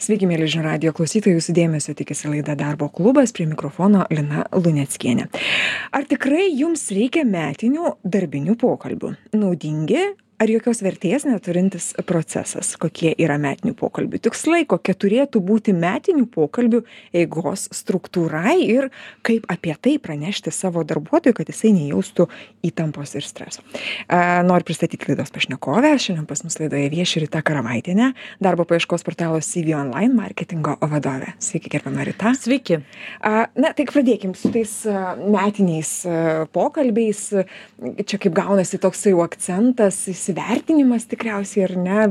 Sveiki, mėly žinių radijo klausytojai, jūsų dėmesio tikisi laida Darbo klubas, prie mikrofono Lina Luneckienė. Ar tikrai jums reikia metinių darbinių pokalbių? Naudingi ar jokios vertės neturintis procesas? Kokie yra metinių pokalbių tikslai, kokia turėtų būti metinių pokalbių eigos struktūra ir kaip apie tai pranešti savo darbuotojui, kad jisai nejaustų įtampos ir streso. Noriu pristatyti laidos pašnekovę. Šiandien pas mus laidoje vieši Rita Karavaitienė, darbo paieškos portalo CV Online marketingo vadovė. Sveiki, gerbiama Rita. Sveiki. Na, tai pradėkim su tais metiniais pokalbiais. Čia kaip gaunasi toksai jau akcentas, įsivertinimas tikriausiai, ar ne?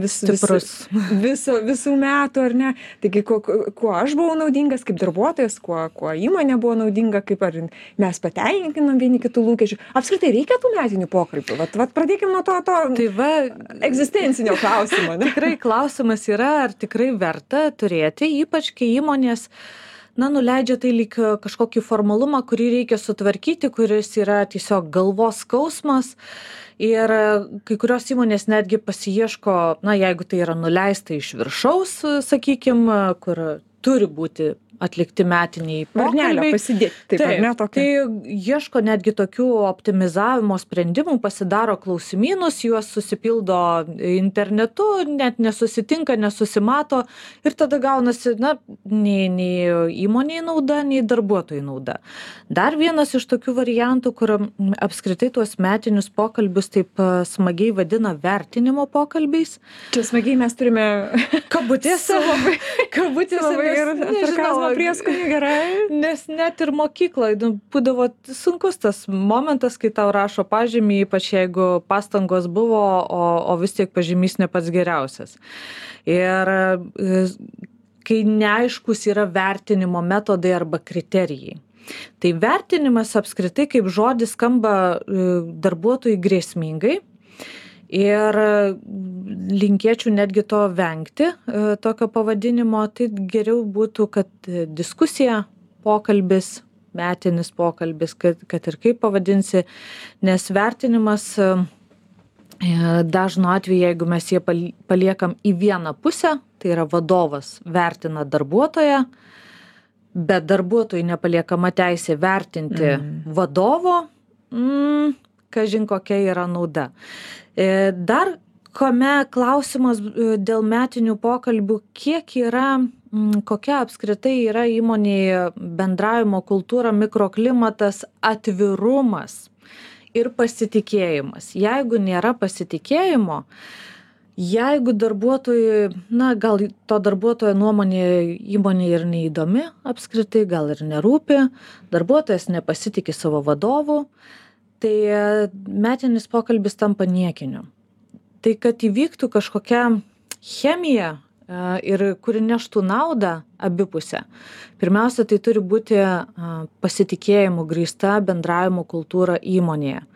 Visų metų, ar ne? Taigi, kuo aš buvau naudingas kaip darbuotojas, kuo įmonė buvo naudinga, kaip ar mes patenkinam vieni kitų lūkesčių. Apskritai, reikia tų metinių pokalbių? Vat pradėkim nuo to egzistencinio klausimo. Ne? Tikrai klausimas yra, ar tikrai verta turėti, ypač kai įmonės nuleidžia tai lyg kažkokį formalumą, kurį reikia sutvarkyti, kuris yra tiesiog galvos skausmas. Ir kai kurios įmonės netgi pasiieško, jeigu tai yra nuleista iš viršaus, sakykime, kur turi būti atlikti metiniai pokalbiai. Pasidėti, tai ieško netgi tokių optimizavimo sprendimų, pasidaro klausimynus, juos susipildo internetu, net nesusitinka, nesusimato ir tada gaunasi, nei įmonei nauda, nei darbuotojai nauda. Dar vienas iš tokių variantų, kur apskritai tuos metinius pokalbius taip smagiai vadina vertinimo pokalbiais. Čia smagiai mes turime kabutėse labai sarkazmo prieskonį, gerai. Nes net ir mokykloje būdavo sunkus tas momentas, kai tau rašo pažymį, ypač jeigu pastangos buvo, o vis tiek pažymys ne pats geriausias. Ir kai neaiškus yra vertinimo metodai arba kriterijai. Tai vertinimas apskritai kaip žodis skamba darbuotojui grėsmingai. Ir linkėčiau netgi to vengti, tokio pavadinimo, tai geriau būtų, kad diskusija, pokalbis, metinis pokalbis, kad ir kaip pavadinsi, nes vertinimas dažnu atveju, jeigu mes jį paliekam į vieną pusę, tai yra vadovas vertina darbuotoją, bet darbuotojui nepaliekama teisė vertinti vadovo, kažin kokia yra nauda. Dar kame klausimas dėl metinių pokalbių, kokia apskritai yra įmonėje bendravimo kultūra, mikroklimatas, atvirumas ir pasitikėjimas. Jeigu nėra pasitikėjimo, jeigu darbuotojui, gal to darbuotojo nuomonė įmonė ir neįdomi apskritai, gal ir nerūpi, darbuotojas nepasitikė savo vadovu, tai metinis pokalbis tampa niekiniu. Tai kad įvyktų kažkokia chemija ir kuri neštų naudą abipusę, pirmiausia, tai turi būti pasitikėjimu grįsta bendravimo kultūra įmonėje.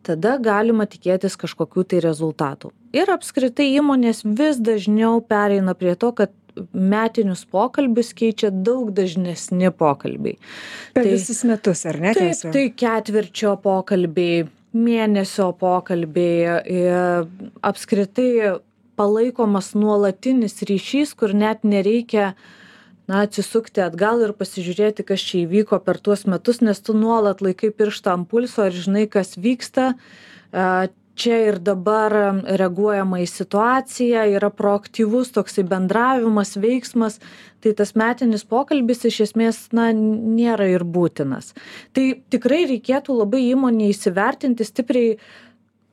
Tada galima tikėtis kažkokių tai rezultatų. Ir apskritai įmonės vis dažniau pereina prie to, kad metinius pokalbius keičia daug dažnesni pokalbiai. Per visus metus, ar ne? Taip, tai ketvirčio pokalbiai, mėnesio pokalbiai, apskritai palaikomas nuolatinis ryšys, kur net nereikia atsisukti atgal ir pasižiūrėti, kas čia įvyko per tuos metus, nes tu nuolat laikai pirštą ant pulso ir žinai, kas vyksta. Čia ir dabar reaguojama į situaciją, yra proaktyvus toksai bendravimas, veiksmas, tai tas metinis pokalbis iš esmės nėra ir būtinas. Tai tikrai reikėtų labai įmonėje įsivertinti stipriai,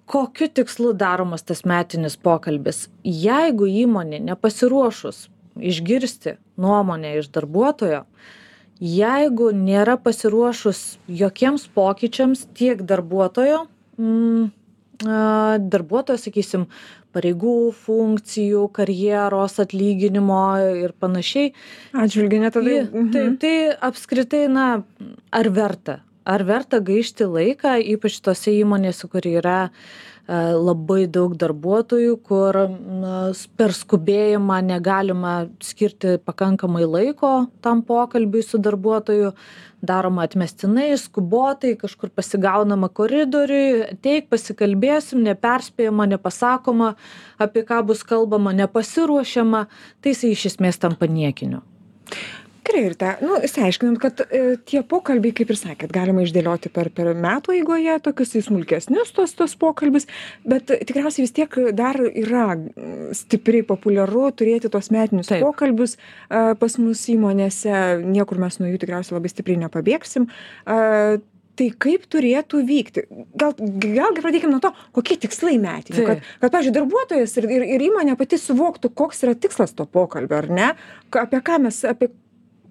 kokiu tikslu daromas tas metinis pokalbis. Jeigu įmonė nepasiruošus išgirsti nuomonę iš darbuotojo, jeigu nėra pasiruošus jokiems pokyčiams tiek darbuotojo, sakysim, pareigų, funkcijų, karjeros, atlyginimo ir panašiai. Atžvilgiu, ne tada. Tai apskritai, ar verta? ar verta gaišti laiką, ypač tose įmonėse, kur yra labai daug darbuotojų, kur per skubėjimą negalima skirti pakankamai laiko tam pokalbiui su darbuotoju, daroma atmestinai, skubotai, kažkur pasigaunama koridoriui, ateik, pasikalbėsim, neperspėjama, nepasakoma, apie ką bus kalbama, nepasiruošiama, tai jis iš esmės tampa niekiniu. Gerai, ir išsiaiškinant, kad tie pokalbiai, kaip ir sakėt, galima išdėlioti per metų eigoje, tokius smulkesnius tos pokalbis, bet tikriausiai vis tiek dar yra stipriai populiaru turėti tos metinius pokalbius pas mus įmonėse, niekur mes nuo jų tikriausiai labai stipriai nepabėgsim. Tai kaip turėtų vykti? Gal pradėkime nuo to, kokie tikslai metinių, kad pavyzdžiui, darbuotojas ir įmonė pati suvoktų, koks yra tikslas to pokalbio, ar ne? Apie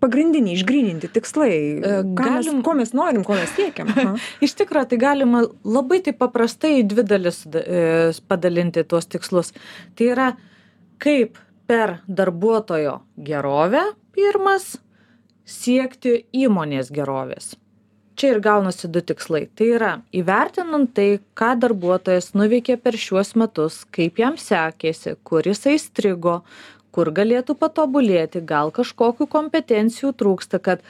pagrindiniai išgryninti tikslai, ko mes norim, ko mes siekiam. Iš tikrųjų, tai galima labai taip paprastai į dvi dalis padalinti tuos tikslus. Tai yra, kaip per darbuotojo gerovę pirmas siekti įmonės gerovės. Čia ir gaunasi du tikslai. Tai yra, įvertinant tai, ką darbuotojas nuveikė per šiuos metus, kaip jam sekėsi, kur jisai strigo, kur galėtų patobulėti, gal kažkokių kompetencijų trūksta, kad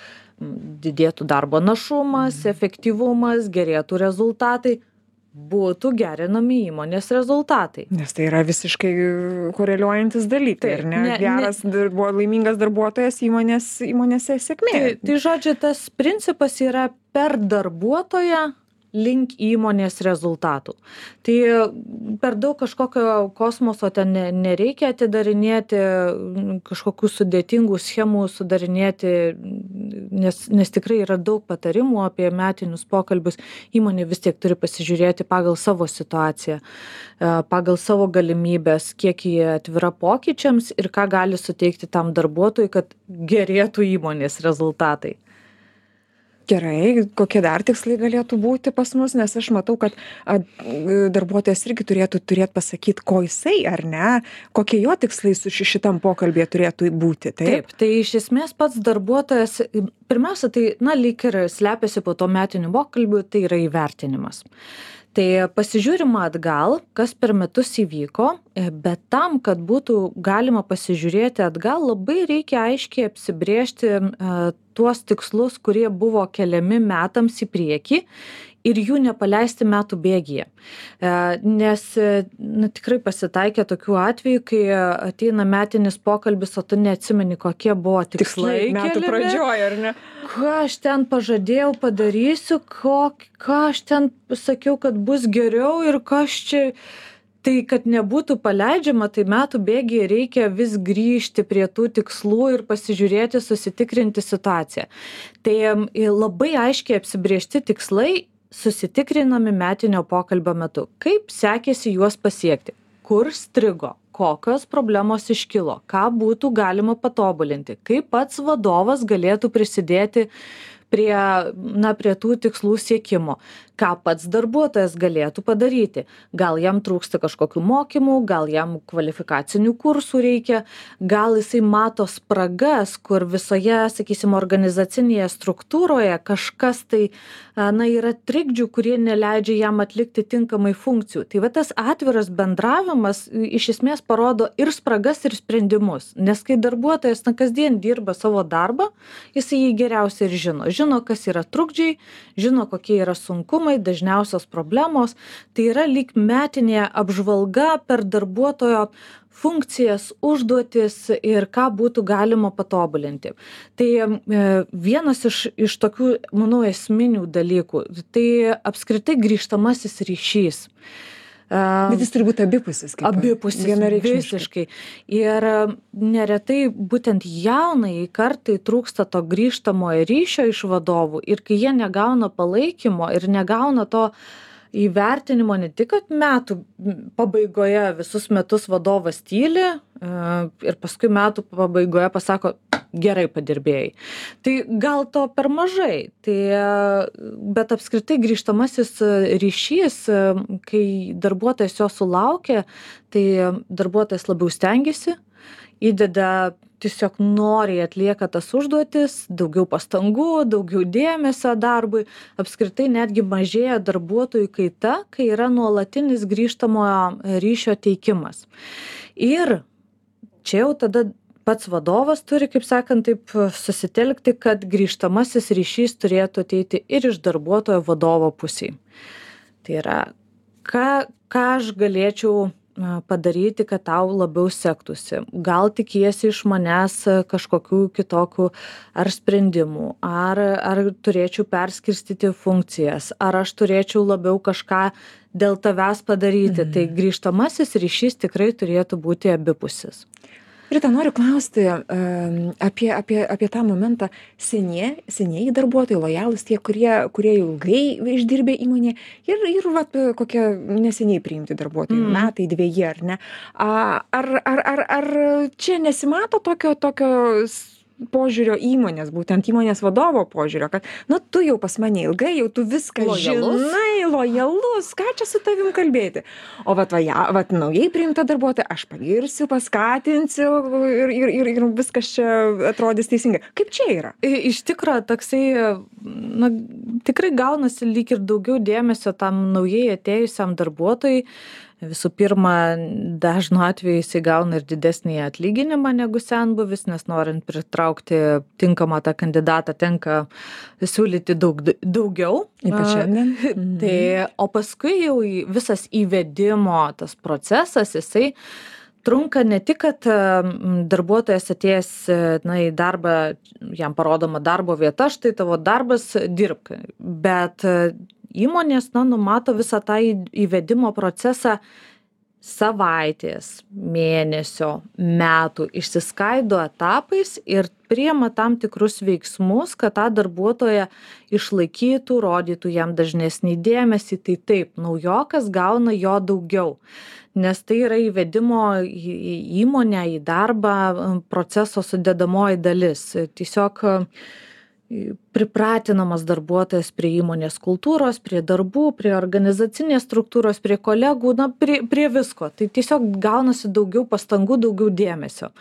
didėtų darbo našumas, efektyvumas, gerėtų rezultatai, būtų gerinami įmonės rezultatai. Nes tai yra visiškai koreliuojantis dalykai, ar ne? Geras, laimingas darbuotojas įmonėse sėkmė. Tai žodžiu, tas principas yra per darbuotoją link įmonės rezultatų. Tai per daug kažkokio kosmoso ten nereikia atidarinėti, kažkokių sudėtingų schemų sudarinėti, nes tikrai yra daug patarimų apie metinius pokalbius. Įmonė vis tiek turi pasižiūrėti pagal savo situaciją, pagal savo galimybės, kiek jie atvira pokyčiams ir ką gali suteikti tam darbuotojui, kad gerėtų įmonės rezultatai. Gerai, kokie dar tikslai galėtų būti pas mus, nes aš matau, kad darbuotojas irgi turėtų pasakyti, ko jisai, ar ne, kokie jo tikslai su šitam pokalbėje turėtų būti. Taip, tai iš esmės pats darbuotojas, pirmiausia, tai, lyg ir slepiasi po to metinių pokalbių, tai yra įvertinimas. Tai pasižiūrima atgal, kas per metus įvyko, bet tam, kad būtų galima pasižiūrėti atgal, labai reikia aiškiai apsibrėžti tuos tikslus, kurie buvo keliami metams į priekį ir jų nepaleisti metų bėgyje. Nes tikrai pasitaikė tokių atvejų, kai ateina metinis pokalbis, o tu neatsimeni, kokie buvo tikslai metų pradžioje, ar ne? Ką aš ten pažadėjau padarysiu, ką aš ten sakiau, kad bus geriau ir kas čia. Tai, kad nebūtų paleidžiama, tai metų bėgyje reikia vis grįžti prie tų tikslų ir pasižiūrėti, susitikrinti situaciją. Tai labai aiškiai apsibriežti tikslai susitikrinami metinio pokalbio metu. Kaip sekėsi juos pasiekti? Kur strigo? Kokios problemos iškilo? Ką būtų galima patobulinti? Kaip pats vadovas galėtų prisidėti prie tų tikslų siekimo? Ką pats darbuotojas galėtų padaryti? Gal jam trūksta kažkokių mokymų, gal jam kvalifikacinių kursų reikia, gal jisai mato spragas, kur visoje, sakysim, organizacinėje struktūroje kažkas tai yra trikdžių, kurie neleidžia jam atlikti tinkamai funkcijų. Tai tas atviras bendravimas iš esmės parodo ir spragas, ir sprendimus. Nes kai darbuotojas kasdien dirba savo darbą, jisai jį geriausiai ir žino. Žino, kas yra trukdžiai, žino, kokie yra sunkumai, dažniausios problemos. Tai yra lyg metinė apžvalga per darbuotojo funkcijas, užduotis ir ką būtų galima patobulinti. Tai vienas iš tokių, manau, esminių dalykų, tai apskritai grįžtamasis ryšys. Bet jis turi būti abipusis. Abipusis, visiškai. Ir neretai būtent jaunai kartai trūksta to grįžtamojo ryšio iš vadovų ir kai jie negauna palaikymo ir negauna to įvertinimo ne tik, kad metų pabaigoje visus metus vadovas tyli ir paskui metų pabaigoje pasako, gerai padirbėjai. Tai gal to per mažai, bet apskritai grįžtamasis ryšys, kai darbuotojas jo sulaukia, tai darbuotojas labiau stengiasi, įdeda tiesiog noriai atlieka tas užduotis, daugiau pastangų, daugiau dėmesio darbui, apskritai netgi mažėja darbuotojų kaita, kai yra nuolatinis grįžtamojo ryšio teikimas. Ir čia jau tada pats vadovas turi, kaip sakant, taip susitelkti, kad grįžtamasis ryšys turėtų ateiti ir iš darbuotojo vadovo pusėje. Tai yra, ką aš galėčiau padaryti, kad tau labiau sektųsi. Gal tikiesi iš manęs kažkokių kitokių ar sprendimų, ar turėčiau perskirstyti funkcijas, ar aš turėčiau labiau kažką dėl tavęs padaryti. Tai grįžtamasis ryšys tikrai turėtų būti abipusis. Rita, noriu klausti apie tą momentą. Senieji darbuotojai, lojalūs tie, kurie ilgai išdirbė įmonėje ir vat, kokie neseniai priimti darbuotojai, metai, 2, ar ne? Ar čia nesimato tokio požiūrio įmonės, būtent įmonės vadovo požiūrio, kad, tu jau pas mane ilgai, jau tu viską žinai, lojalus, ką čia su tavim kalbėti? O vat naujai priimta darbuotoja, aš pagirsiu, paskatinsiu ir viskas čia atrodys teisingai. Kaip čia yra? Iš tikrųjų, toksai, tikrai gaunasi lyg ir daugiau dėmesio tam naujai atėjusiam darbuotojui. Visų pirma, dažnu atveju jis gauna ir didesnį atlyginimą negu senbuvis, nes norint pritraukti tinkamą tą kandidatą, tenka siūlyti daugiau. Ypač šiandien. O paskui jau visas įvedimo tas procesas, jisai trunka ne tik, kad darbuotojas atėjęs į darbą, jam parodoma darbo vieta, štai tavo darbas, dirbk, bet įmonės numato visą tą įvedimo procesą savaitės, mėnesio, metų, išsiskaido etapais ir priima tam tikrus veiksmus, kad tą darbuotoją išlaikytų, rodytų jam dažnesnį dėmesį. Tai taip, naujokas gauna jo daugiau, nes tai yra įvedimo į įmonę, į darbą proceso sudedamoji dalis. Tiesiog pripratinamas darbuotojas prie įmonės kultūros, prie darbų, prie organizacinės struktūros, prie kolegų, prie visko. Tai tiesiog gaunasi daugiau pastangų, daugiau dėmesio.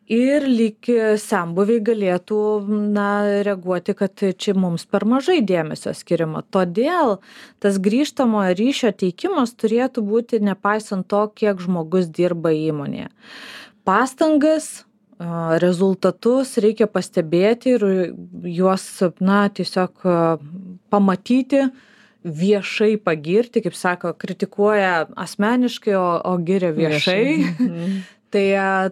Ir lyg senbuviai galėtų reaguoti, kad čia mums per mažai dėmesio skiriama. Todėl tas grįžtamojo ryšio teikimas turėtų būti nepaisant to, kiek žmogus dirba įmonėje. Pastangas, rezultatus reikia pastebėti ir juos tiesiog pamatyti, viešai pagirti, kaip sako, kritikuoja asmeniškai, o giria viešai. Tai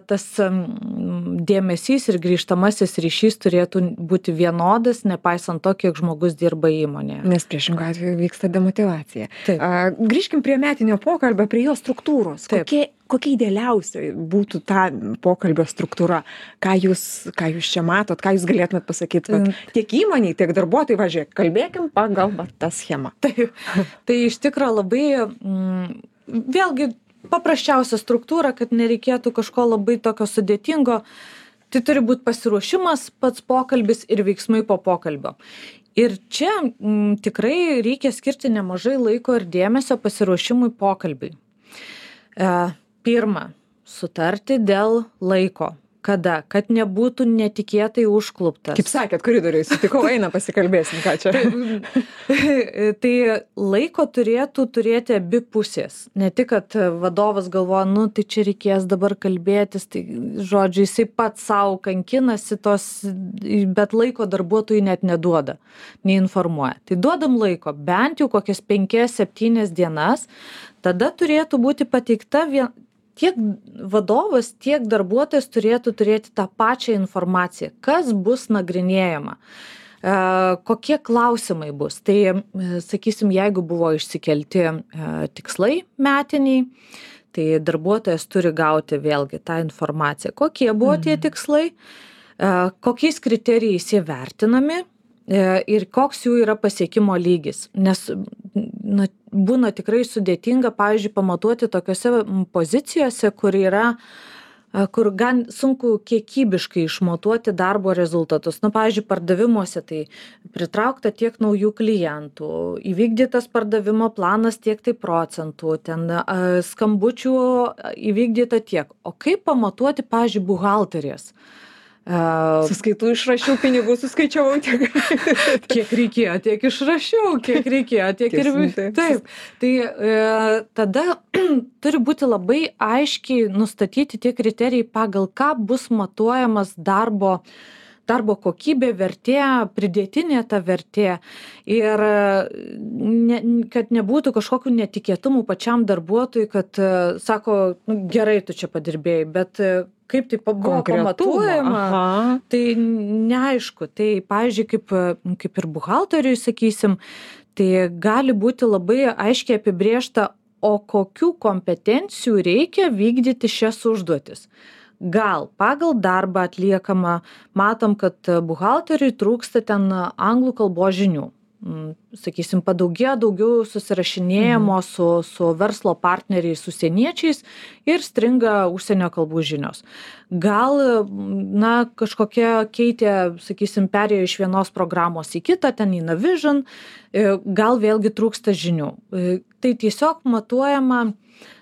tas dėmesys ir grįžtamasis ryšys turėtų būti vienodas, nepaisant to, kiek žmogus dirba įmonėje. Nes priešingų atveju vyksta demotyvacija. Grįžkim prie metinio pokalbio, prie jo struktūros. Kokia idealiausia būtų ta pokalbio struktūra? Ką jūs čia matot, ką jūs galėtumėt pasakyti? Tiek įmoniai, tiek darbuotojai, važiuok, kalbėkim pagal tą schemą. Tai iš tikrųjų labai, vėlgi, paprasčiausia struktūra, kad nereikėtų kažko labai tokio sudėtingo. Tai turi būti pasiruošimas, pats pokalbis ir veiksmai po pokalbio. Ir čia tikrai reikia skirti nemažai laiko ir dėmesio pasiruošimui pokalbiui. Pirma, sutarti dėl laiko. Kada? Kad nebūtų netikėtai užkluptas. Kaip sakėt, koridoriui sutikau, eina pasikalbėsim, ką čia. Tai laiko turėtų turėti abi pusės. Ne tik, kad vadovas galvoja, tai čia reikės dabar kalbėtis, tai žodžiu, jisai pats savo kankinasi bet laiko darbuotojui net neduoda, neinformuoja. Tai duodam laiko, bent jau kokias 5-7 dienas, tada turėtų būti pateikta tiek vadovas, tiek darbuotojas turėtų turėti tą pačią informaciją, kas bus nagrinėjama, kokie klausimai bus. Tai, sakysim, jeigu buvo išsikelti tikslai metiniai, tai darbuotojas turi gauti vėlgi tą informaciją, kokie buvo tie tikslai, kokiais kriterijais jie vertinami ir koks jų yra pasiekimo lygis. Nes būna tikrai sudėtinga, pavyzdžiui, pamatuoti tokiose pozicijose, kur yra kur gan sunku kiekybiškai išmatuoti darbo rezultatus. Pavyzdžiui, pardavimuose tai pritraukta tiek naujų klientų, įvykdytas pardavimo planas tiek tai procentų, ten skambučių įvykdyta tiek. O kaip pamatuoti, pavyzdžiui, buhalterės? Suskaitų išrašiau, pinigų suskaičiavau tiek. Kiek reikėjo, tiek išrašiau, kiek reikėjo, tiek ir... Taip. Tai tada turi būti labai aiškiai nustatyti tie kriterijai, pagal ką bus matuojamas darbo kokybė, vertė, pridėtinė ta vertė. Ir kad nebūtų kažkokių netikėtumų pačiam darbuotojui, kad sako, gerai, tu čia padirbėjai, bet kaip tai buvo pamatuojama, tai neaišku. Tai, pavyzdžiui, kaip ir buhalteriui, sakysim, tai gali būti labai aiškiai apibrėžta, o kokių kompetencijų reikia vykdyti šias užduotis. Gal pagal darbą atliekama, matom, kad buhalteriui trūksta ten anglų kalbos žinių. Sakysim, padaugėjo daugiau susirašinėjimo su verslo partneriais, užsieniečiais ir stringa užsienio kalbų žinios. Gal, kažkokia keitė, sakysim, perėjo iš vienos programos į kitą, ten į Navision, gal vėlgi trūksta žinių. Tai tiesiog matuojama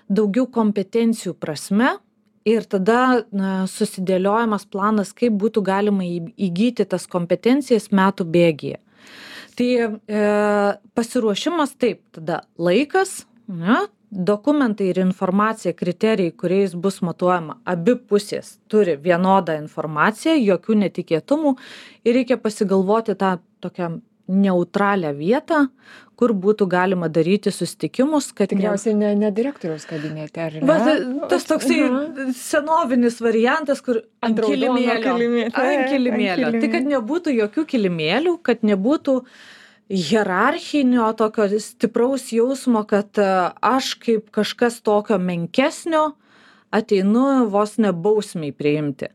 daugiau kompetencijų prasme. Ir tada susidėliojamas planas, kaip būtų galima įgyti tas kompetencijas metų bėgyje. Tai pasiruošimas taip, tada laikas, dokumentai ir informacija, kriterijai, kuriais bus matuojama, abi pusės turi vienodą informaciją, jokių netikėtumų ir reikia pasigalvoti tą tokią neutralią vietą, kur būtų galima daryti susitikimus, kad... Tikriausiai ne direktoriaus kabinete, ar ne? Tas toksai senovinis variantas, kur ant kilimėlio. Tai kad nebūtų jokių kilimėlių, kad nebūtų hierarchinio tokio stipraus jausmo, kad aš kaip kažkas tokio menkesnio ateinu vos ne bausmiai priimti.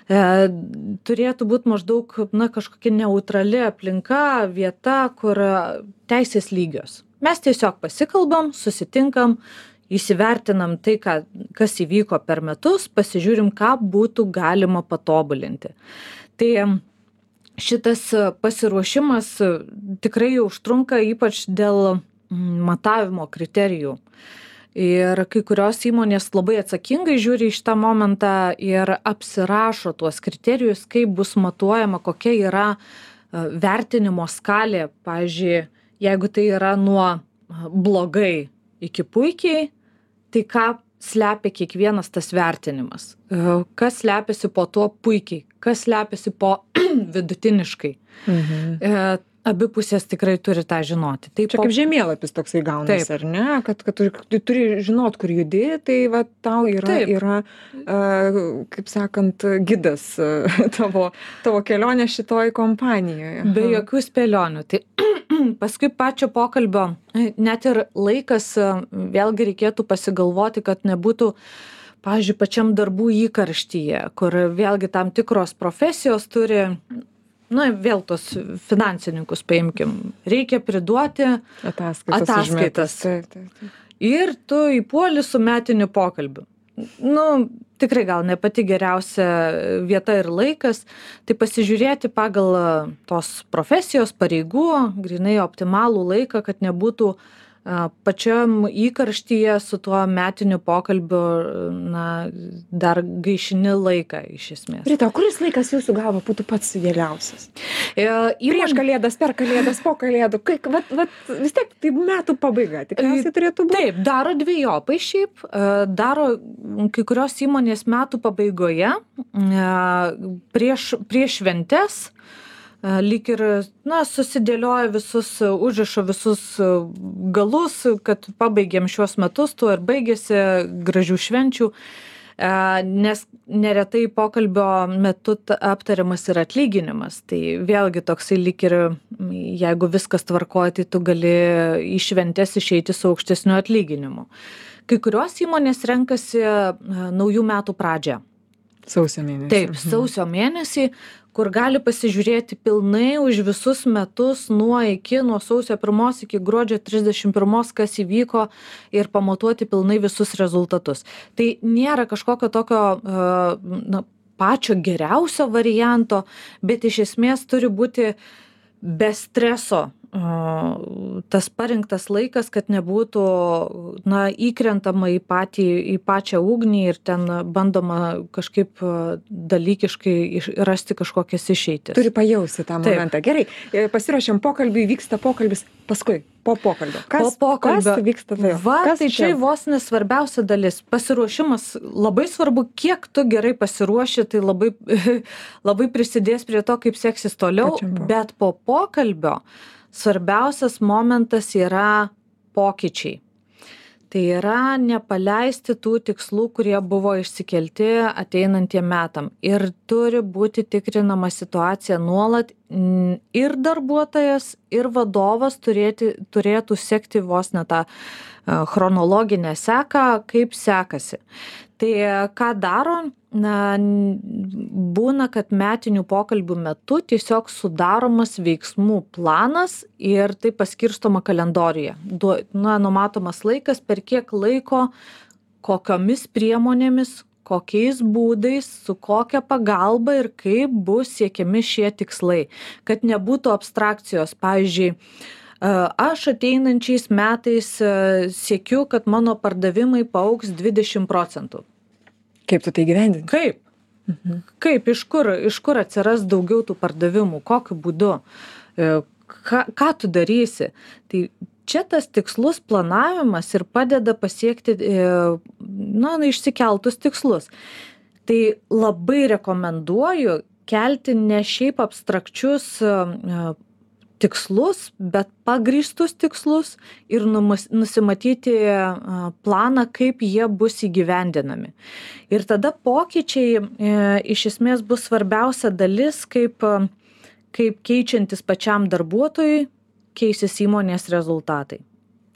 Turėtų būti maždaug kažkokia neutrali aplinka, vieta, kur teisės lygios. Mes tiesiog pasikalbam, susitinkam, įsivertinam tai, kas įvyko per metus, pasižiūrim, ką būtų galima patobulinti. Tai šitas pasiruošimas tikrai užtrunka, ypač dėl matavimo kriterijų. Ir kai kurios įmonės labai atsakingai žiūri į šitą momentą ir apsirašo tuos kriterijus, kaip bus matuojama, kokia yra vertinimo skalė. Pavyzdžiui, jeigu tai yra nuo blogai iki puikiai, tai ką slepia kiekvienas tas vertinimas? Kas slepiasi po to puikiai? Kas slepiasi po vidutiniškai? Abi pusės tikrai turi tą žinoti. Čia kaip žemėlapis toksai gaunasi, ar ne? Kad tu turi žinot, kur judi, tai va tau yra kaip sakant, gidas tavo kelionė šitoj kompanijoje. Be jokių spėlionių. Tai paskui pačio pokalbio, net ir laikas, vėlgi reikėtų pasigalvoti, kad nebūtų, pavyzdžiui, pačiam darbų įkarštyje, kur vėlgi tam tikros profesijos turi... vėl tos finansininkus paimkim. Reikia priduoti ataskaitas. Ir tu įpuoli su metiniu pokalbiu. Tikrai gal ne pati geriausia vieta ir laikas, tai pasižiūrėti pagal tos profesijos pareigų, grinai optimalų laiką, kad nebūtų pačiam įkarštyje su tuo metiniu pokalbiu, dar gaišini laiką iš esmės. Rita, kuris laikas jūsų galva būtų pats idealiausias? Prieš kalėdas, per kalėdas, po kalėdų, vis tiek tai metų pabaiga, tikriausiai turėtų būti. Taip, daro dvejopai šiaip, daro kai kurios įmonės metų pabaigoje, prieš šventes, lyg ir susidėlioja užrišo visus galus, kad pabaigėm šiuos metus, tuo ir baigėsi, gražių švenčių, nes neretai pokalbio metu aptariamas ir atlyginimas. Tai vėlgi toksai lyg ir, jeigu viskas tvarkoja, tai tu gali į šventes išeiti su aukštesniu atlyginimu. Kai kurios įmonės renkasi naujų metų pradžią. Sausio mėnesį. Taip, sausio mėnesį, kur gali pasižiūrėti pilnai už visus metus nuo sausio 1 iki gruodžio 31, kas įvyko ir pamatuoti pilnai visus rezultatus. Tai nėra kažkokio tokio pačio geriausio varianto, bet iš esmės turi būti be streso tas parinktas laikas, kad nebūtų įkrentama į pačią ugnį ir ten bandoma kažkaip dalykiškai rasti kažkokias išeitis. Turi pajausti tą momentą. Gerai, pasiruošiam pokalbį, vyksta pokalbis, paskui po pokalbio. Kas vyksta tai? Tai čia vos nesvarbiausia dalis. Pasiruošimas labai svarbu, kiek tu gerai pasiruoši, tai labai prisidės prie to, kaip seksis toliau, bet po pokalbio svarbiausias momentas yra pokyčiai. Tai yra nepaleisti tų tikslų, kurie buvo išsikelti ateinantiem metam. Ir turi būti tikrinama situacija nuolat ir darbuotojas, ir vadovas turėtų sekti vos ne tą chronologinę seką, kaip sekasi. Tai ką daro? Būna, kad metinių pokalbių metu tiesiog sudaromas veiksmų planas ir tai paskirstoma kalendoriuje. Numatomas laikas, per kiek laiko, kokiomis priemonėmis, kokiais būdais, su kokia pagalba ir kaip bus siekiami šie tikslai. Kad nebūtų abstrakcijos. Pavyzdžiui, aš ateinančiais metais siekiu, kad mano pardavimai paaugs 20%. Kaip tu tai gyvendini? Kaip? Kaip, iš kur atsiras daugiau tų pardavimų, kokiu būdu, ką tu darysi. Tai čia tas tikslus planavimas ir padeda pasiekti išsikeltus tikslus. Tai labai rekomenduoju kelti ne šiaip abstrakčius tikslus, bet pagrįstus tikslus ir nusimatyti planą, kaip jie bus įgyvendinami. Ir tada pokyčiai iš esmės bus svarbiausia dalis, kaip keičiantis pačiam darbuotojui keisis įmonės rezultatai.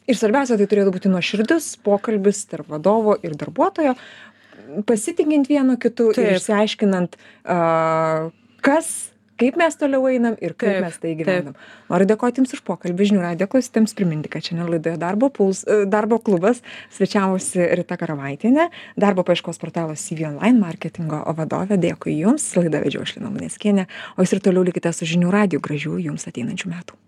Ir svarbiausia, tai turėtų būti nuoširdus pokalbis tarp vadovo ir darbuotojo, pasitikint vienu kitu ir išsiaiškinant, kaip mes toliau einam ir kaip mes tai gyvenam. Noriu dėkoti Jums už pokalbį. Žinių radijo klausytojams priminti, kad šiandien laidoje Darbo klubas svečiavosi Rita Karavaitienė, darbo paieškos portalo CV Online marketingo vadovė. Dėkui Jums. Laidą vedžiau aš Lina Luneckienė. O Jūs ir toliau likite su Žinių radiju. Gražių Jums ateinančių metų.